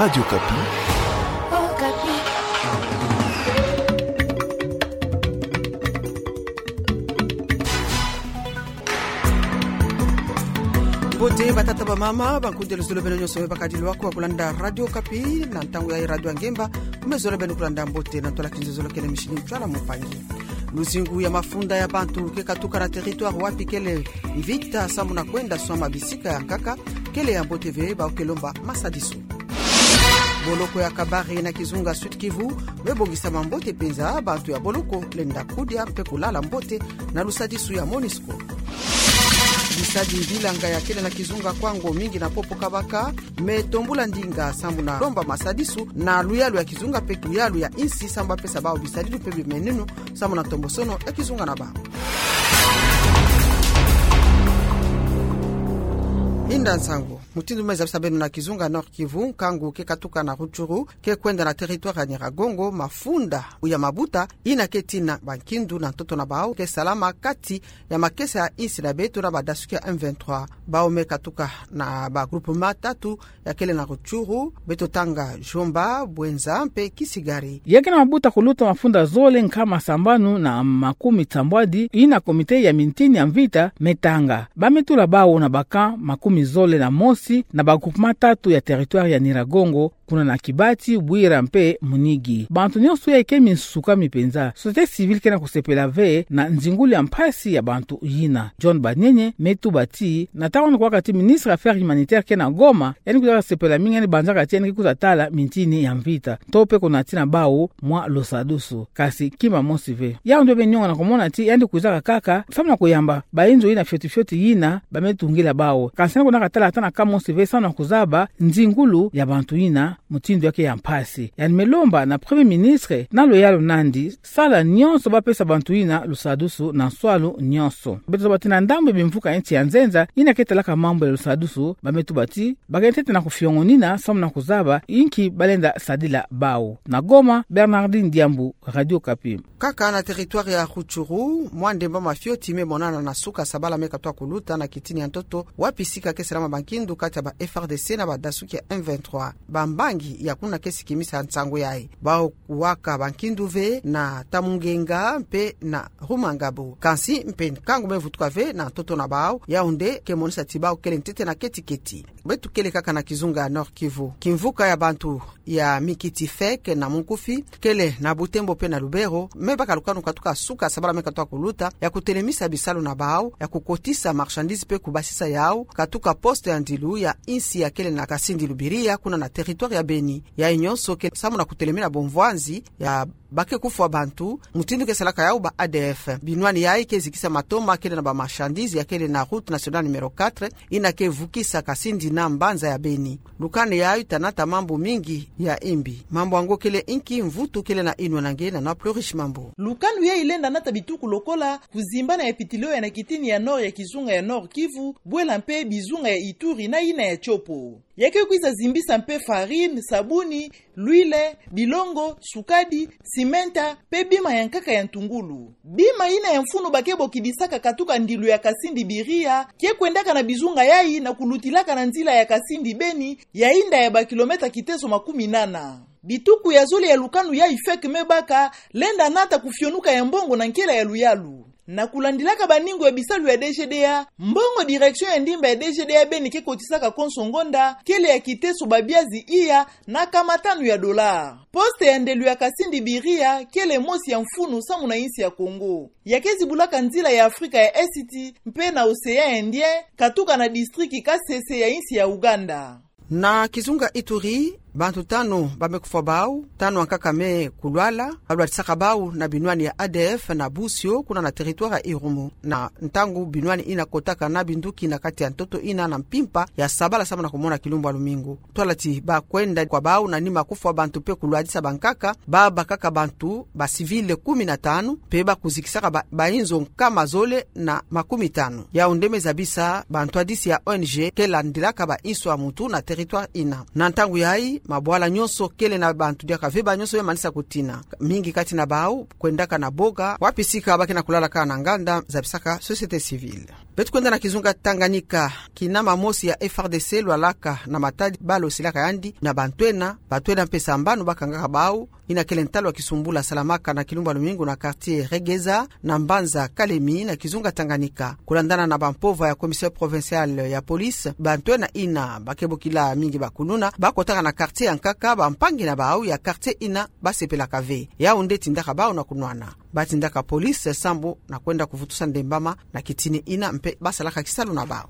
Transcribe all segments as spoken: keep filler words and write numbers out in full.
Radio Okapi. Mbote batata, bamama, bankundele zole beno nyonso me bakadi lwako ya kulanda Radio Okapi na ntangu ya Radio Ngemba. Mezole beno kulanda mbote na ntwala kinzezolo kele mishini ntwala mpangi. Luzingu ya mafunda ya bantu ke katuka na territoire wapi kele mvita samu na kwenda swama bisika ya nkaka, kele ya mbote ve, bawu ke lomba masadisu. Boloko ya Kabare na kizunga Sud-Kivu me bongisama mbote mpenza, bantu ya boloko lenda kudia mpe kulala mbote na lusadisu ya MONUSCO. Bisadi bilanga ya kele na kizunga Kwango mingi na Popo Kabaka me tombula ndinga samu na lomba masadisu na luyalu ya kizunga mpe luyalu ya insi samu bapesa bawu bisadilu mpe bimeneno samu na ntombosono ya kizunga na bawu. Inda nsangu. Mutindu me zabisa beno, na kizunga Nord-Kivu, nkangu ke katuka na Rutshuru ke kwenda na territoire ya Nyiragongo, mafunda ya mabuta ina ke tina bankindu na ntoto na bawu ke salama kati ya makesa ya insi na beto na badasuki ya M vingt-trois. Bawu me katuka na ba groupement tatu ya kele na Rutshuru, beto tanga Djomba, Bouenza mpe Kisigari. Ya ke na mabuta kuluta mafunda zole nkama sambanu na makumi sambwadi ina comité ya mintini ya mvita me tanga. Ba me tula bawu na ba camp makumi zole na mosi na ba groupement tatu ya territoire ya Nyiragongo, kuna na Kibati, Bwira mpe Munigi. Bantu nyonso ya ke minsuka mi mpenza. Société civile ke na kusepela ve na nzingulu ya mpasi ya bantu yina. John Banyenye me tuba ti na ntangu wana kuwaka ti ministre ya Affaires humanitaires ke na Goma, yandi kwiza kasepela mingi, yandi banzaka ti yandi ke kwiza tala mintini ya mvita, to mpe kunatina bawu mwa lusadusu. Kasi kima mosi ve. Yawu nde beno nyongo na kumona ti yandi kwizaka kaka samu na kuyamba bainzo yina fioti fioti yina ba me tungila bawu. Kasi yandi kwenda katala ata na camp mosi ve samu na kuzaba nzingulu ya bantu yina mutindu ya ke ya mpasi. Yandi me lomba na Premier Ministre na luyalu na yandi sala nyonso bapesa bantu yina lusadusu na nswalu nyonso. Beto zaba ti na ndambu ya bimvuka ya insi ya nzenza yina ke talaka mambu ya lusadusu, ba me tuba ti ba ke ntete na kufiongonina samu na kuzaba inki ba lenda sadila bawu. Na Goma, Bernardine Diambu, Radio Okapi. Kaka na territoire ya Rutshuru, mwa ndemba mafioti me monana na suka sabala me katwa kuluta na kitini ya ntoto, wapi sika ke salama bankindu kati ya ba F R D C na badasuki ya M vingt-trois. Bambangi ya kuna ke sikimisa nsangu yayi. Bawu kuwaka bankindu ve na Tamungenga mpe na Rumangabo. Kansi mpe nkangu me vutuka ve na ntoto na bawu, yawu nde ke monisa ti bawu kele ntete na keti keti. Beto kele kaka na kizunga Nord-Kivu. Kimvuka ya bantu ya mikiti feke na munkufi, kele na Butembo mpe na Lubero, me baka lukanu katuka suka sabala me katwa kuluta ya kutelemisa bisalu na bawu ya kukotisa marchandise mpe kubasisa yawu katuka poste ya ndilu ya insi ya kele na Kasindi Lubiria, kuna na territoire ya Beni. Yayi nyonso ke samu na kutelemina bomvwanzi ya ba ke kufwa bantu, mutindu ke salaka yawu ba A D F. Binwani yayi ke zikisa matoma kele na ba marchandise ya kele na route nationale numéro quatre, yina ke vukisa Kasindi na mbanza ya Beni. Lukanu yayi tanata mambu mingi ya imbi. Mambu yango kele inki? Mvutu kele na inwa na nge na nwa Plurish Mambu. Lukanu yayi lenda nata bituku lokola kuzimbana ya pitilo ya na kitini ya nord ya kizunga ya Nord-Kivu, bwela mpe bizunga ya Ituri na yina ya Tshopo. Ya ke kwiza zimbisa mpe farine, sabuni, l'huile, bilongo, sukadi, simenta, mpe bima ya nkaka ya ntungulu. Bima yina ya mfunu ba ke bokidisaka katuka ndilu ya Kasindi Biria, ke kwendaka na bizunga yayi na kulutilaka na nzila ya Kasindi Beni, ya inda ya ba kilomètre kitezo makumi nana. Bituku ya zole ya lukanu yayi feke me baka, lenda nata kufionuka ya mbongo na nkela ya luyalu. Na kulandilaka baningu ya bisalu ya D G D A, mbongo direction ya ndimba ya D G D A Beni ke kotisaka konso ngonda, kele ya kiteso babiazi iya na nkama tanu ya dollars. Poste ya ndelu ya Kasindi Biria, kele mosi ya mfunu samu na insi ya Congo. Ya ke zibulaka nzila ya Afrika ya Est mpe na Océan Indien, katuka na district Kasese ya insi ya Uganda. Na kizunga Ituri, bantu tanu ba me kufwa bau, tanu ankaka me kulwala, balwadisaka bau na binwani ya A D F na Busio, kuna na territoire ya Irumu. Na ntangu binwani ina kotaka na binduki na kati ya ntoto ina na mpimpa ya sabala samu na kumona kilumbu ya lumingu. Twala ti ba kwenda kwa bau na nima kufwa bantu mpe kulwadisa bankaka, ba bakaka bantu ba civil kumi na tanu, mpe ba kuzikisaka ba, bainzo nkama zole na makumi tanu. Yau nde me zabisa bantwadisi ya O N G ke landilaka ba inso ya muntu na territoire ina. Na ntangu yayi, mabwala nyonso kele na bantu diaka ve, ba nyonso be manisa kutina. Mingi kati na bau kwendaka na boga, wapi sika ba ke na kulalaka na nganda, zabisaka société civile. Beto kwenda na kizunga Tanganyika, kinama mosi ya F R D C lwalaka na matadi, balo silaka yandi na bantu ena, bantu ena mpe sambanu ba kangaka bau, ina kele ntalu ya kisumbula salamaka na kilumbu ya lumingu na quartier Regeza, na mbanza Kalemi, na kizunga Tanganyika. Kulandana na bampova ya commissaire provincial ya police, bantu ena ina ba ke bokila mingi bakuluna, ba kotaka na quartier ya nkaka, bampangi na bau ya quartier ina ba sepelaka ve. Yau nde tindaka bau na kunwana. Ba tindaka police sambu na kwenda kuvutusa ndembama na kitini ina mpe ba salaka kisalu na bau.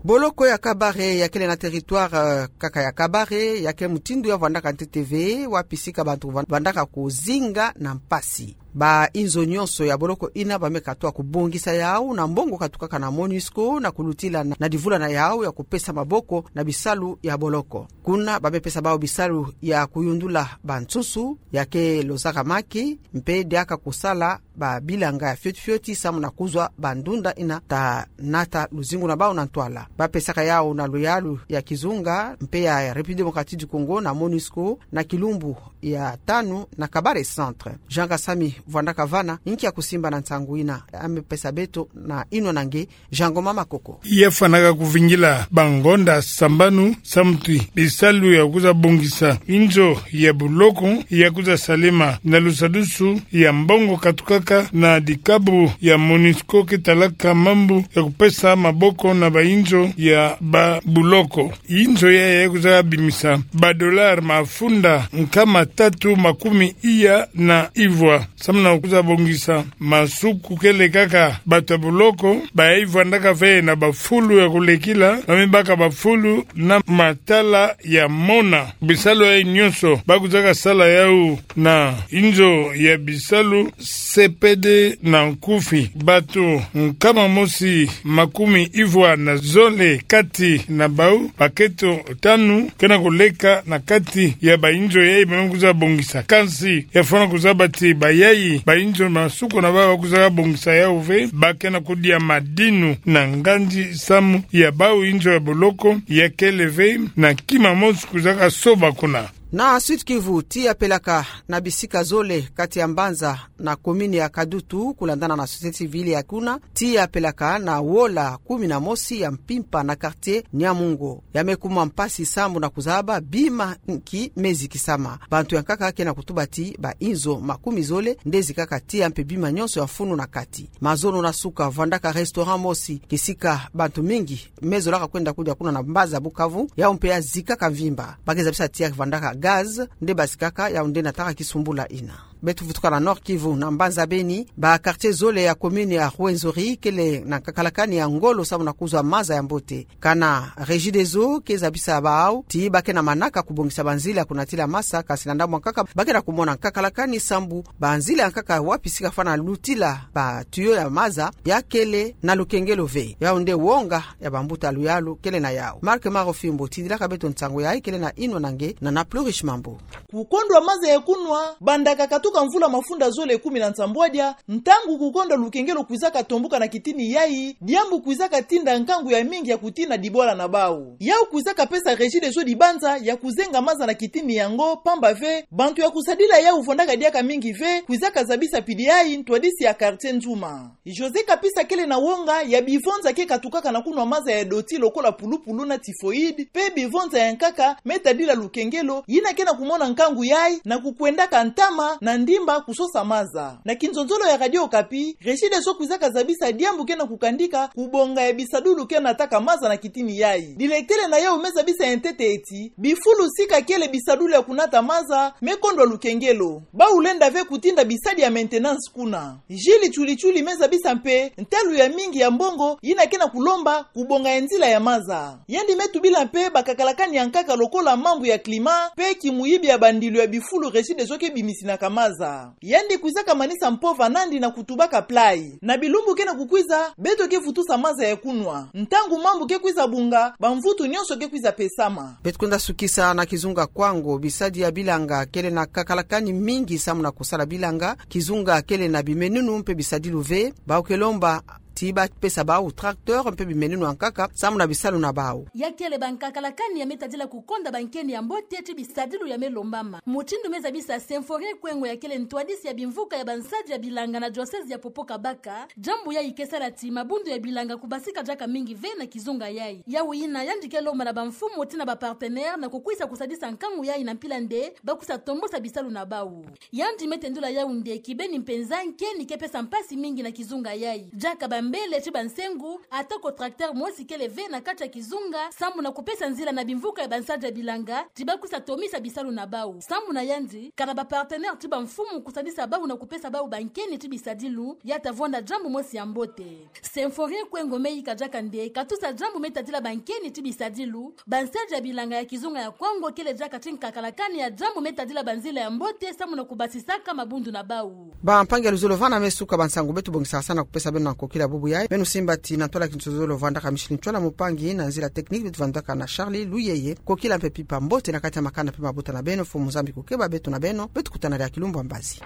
Boloko ya Kabare ya kele na territoire, euh, kaka ya Kabare, ya ke mutindu ya vwandaka ntete ve, wapi sika bantu van-, vandaka kuzinga na mpasi. Ba inzo nyonso ya boloko ina ba me katuka kubongisa yau na mbongo katukaka na MONUSCO na kulutila na, na divula na yau ya kupesa maboko na bisalu ya boloko. Kuna ba me pesa bau bisalu ya kuyundula bansusu, ya ke lozaka maki, mpe diaka kusala babilanga ya fioti fioti samu na kuzwa bandunda ina ta nata luzingu na bau na ntwala. Ba pesaka yau na luyalu ya kizunga mpe ya République Démocratique du Congo na MONUSCO na kilumbu ya tanu na Kabare Centre. Jean Kasami vwandaka vana, nkia kusimba na nsangu ina, a me pesa beto na inwa na nge, Jean Ngoma Makoko. Ya fwanaka kuvingila bangonda sambanu samu ti bisalu ya kwiza bongisa inzo ya boloko ya kwiza salema na lusadusu ya mbongo katukaka na dikabu ya MONUSCO ke talaka mambu ya kupesa maboko na bainzo ya babuloko. Inzo ya ya kwiza bimisa badolari mafunda nkama tatu makumi iya na ivwa. Samu na kwiza bongisa masuku kele kaka bato ya boloko, ba ya vwandaka ve na bafulu ya kulekila, ba me baka bafulu na matala ya mona. Bisalu ya nyonso ba kwizaka sala yau na inzo ya bisalu C P D na nkufi. Bato nkama mosi makumi ivwa na zole kati na bau, bakento tanu ke na kuleka na kati ya bainzo ya ba me kwiza bongisa. Kansi ya fwana kuzaba ti bayayi bainzo masuku na bau ba kwizaka bongisa yau ve, ba ke na kudia madinu na nganzi samu ya bau inzo ya boloko ya kele ve na kima mosi kwizaka soba kuna. Na Sud-Kivu, tiya pelaka na bisika zole kati ya mbanza na commune ya Kadutu, kulandana na société civile ya kuna, tiya pelaka na wola kumi na mosi ya mpimpa na quartier Nyamungo. Ya me kuma mpasi samu na kuzaba bima nki me zikisama. Bantu ya nkaka ke na kutuba ti bainzo makumi zole nde zikaka tiya mpe bima nyonso ya mfunu na kati. Mazono na suka vwandaka restaurant mosi kisika bantu mingi me zolaka kwenda kudia kuna na mbanza Bukavu, yau mpe ya zikaka mvimba. Ba ke zabisa ti ya vwandaka gaz nde ba zikaka, yau nde nataka kisumbula ina. Beto vutuka na Nord-Kivu na mbanza Beni, ba quartier zole ya commune ya Rwenzori kele na nkakalakani ya ngolo samu na kuzwa maza ya mbote. Kana Regideso ke zabisa bau ti ba ke na manaka kubongisa banzila ya kunatila maza, kansi na ndambu ya nkaka ba ke na kumona nkakalakani samu banzila ya nkaka wapi sika fwana lutila ba tuyau ya maza ya kele na lukengelo ve. Yau nde wonga ya bambuta luyalu kele na yau. Marc Marofimbo tindilaka beto nsangu yayi, kele na inwa na nge na Nana Plurish Mambu. Kukondwa maza ya kunwa, banda kakatuka mvula mafunda zole kumi na nsambwadia, ntangu kukondwa lukengelo kwizaka tombuka na kitini yayi, diambu kwizaka tinda nkangu ya mingi ya kutina dibwala na bau. Yau kwizaka pesa Regideso dibanza ya kuzenga maza na kitini yango, pamba ve, bantu ya kusadila yau vwandaka diaka mingi ve, kwizaka zabisa pidi yayi ntwadisi ya quartier Nzuma. José Kapisa kele na wonga ya bivonza ke katukaka na kunwa maza ya doti lokola pulupulu na typhoïde, pe bivonza ya nkaka me tadila lukengelo, yina ke na kumona nkangu yayi na kukwendaka ntama na ndimba kusosa maza. Na kinzonzolo ya Radio Okapi, Regideso kwizaka zabisa diambu ke na kukandika kubonga ya bisadulu ke nataka maza na kitini yayi. Diletele na yau me zabisa ya ntete ti bifulu sika kele bisadulu ya kunata maza me kondwa lukengelo. Bau lenda ve kutinda bisadi ya maintenance kuna. Jules Tchuli Tchuli me zabisa mpe ntalu ya mingi ya mbongo yina ke na kulomba kubonga ya nzila ya maza. Yandi me tubila mpe bakakalakani ya nkaka lokola mambu ya climat, pe kimuyibi ya bandilu ya bifulu Regideso ke bimisinaka maza. Yandi kwizaka manisa mpova nandi na kutubaka play. Na bilumbu ke na kukwiza, beto ke vutusa maza ya kunwa. Ntangu mambu ke kwiza bunga, bamvutu nyonso ke kwiza pesama. Beto kwenda sukisa na kizunga Kwango, bisadi ya bilanga kele na kakalakani mingi samu na kusala bilanga, kizunga kele na bimenunu mpe bisadilu ve, bau ke lomba ti bapesa bau tracteur mpe bimeneno ya nkaka samu na bisalu na bau. Ya kele ba nkakalakani ya me tadila kukonda bankeni ya mbote ti bisadilu ya me lombama. Mutindu me zabisa Symphorien Kwengo ya kele ntwadisi ya bimvuka ya bansadi ya bilanga na diocèse ya Popo-Kabaka, jambu yayi ke sala ti mabundu ya bilanga kubasika diaka mingi ve na kizunga yayi. Yawu yina yandi ke lomba na bamfumu tii na bapartenaire na kukwisa kusadisa nkangu yayi na mpila nde ba kwisa tombosa bisalu na bau. Yandi me tendula yawu nde kibeni mpenza nkeni ke pesa mpasi mingi na kizunga yayi. Diaka bambele tii bansengu, atako tracteur mosi kele ve na kati ya kizunga samu na kupesa nzila na bimvuka ya bansadi ya bilanga ti ba kwisa tomisa bisalu na bau. Samu na yandi, kana bapartenaire tii bamfumu kusadisa bau na kupesa bau bankeni tii bisadilu, ya ta vwanda jambu mosi ya mbote. Symphorien Kwengo me yika diaka nde katusa jambu me tadila bankeni tii bisadilu, bansadi ya bilanga ya kizunga ya Kwango kele diaka tii nkakalakani ya jambu me tadila banzila ya mbote samu na kubasisaka mabundu na bau. Bampangi ya luzolo, vana me suka bansangu beto bongisaka sana kupesa beno na nkokila bubu yayi. Beno simba ti na ntwala kintu zolo vandaka Micheline Ntwala, mpangi na nzila technique beto vandaka na Charlie Luyeye. Nkokila mpe pimpa mbote na kati ya makanda mpe mabota na beno. Mfumu Nzambi kukeba beto na beno, beto kutana diaka kilumbu ya mbazi.